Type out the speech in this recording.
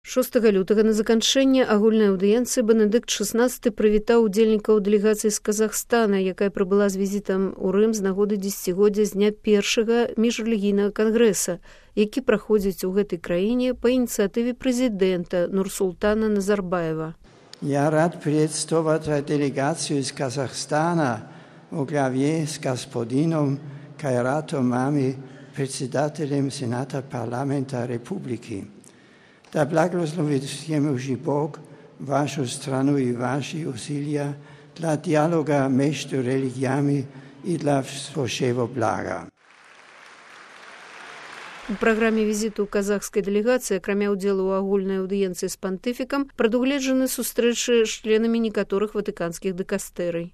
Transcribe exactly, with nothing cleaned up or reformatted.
шостага лютага на заканчэнне агульнай аўдыенцыі Бенедыкт шаснаццаты прывітаў удзельнікаў дэлегацыі з Казахстана, якая прыбыла з візітам у Рым з нагоды дзесяцігоддзя з дня першага міжрэлігійнага кангрэса, які праходзіць у гэтай краіне па ініцыятыве прэзідэнта Нурсултана Назарбаева. Я рад приветствовать делегацию из Казахстана во главе с господином Кайратом Мами, председателем Сената парламента Республики. Да благословит всемогущий Бог вашу страну и ваши усилия для диалога между религиями и для всеобщего блага. У праграме візіту казахскай дэлегацыі, акрамя ўдзелу ў агульнай аўдыенцыі з пантыфікам, прадугледжаны сустрэчы з членамі некаторых ватыканскіх дыкастэрый.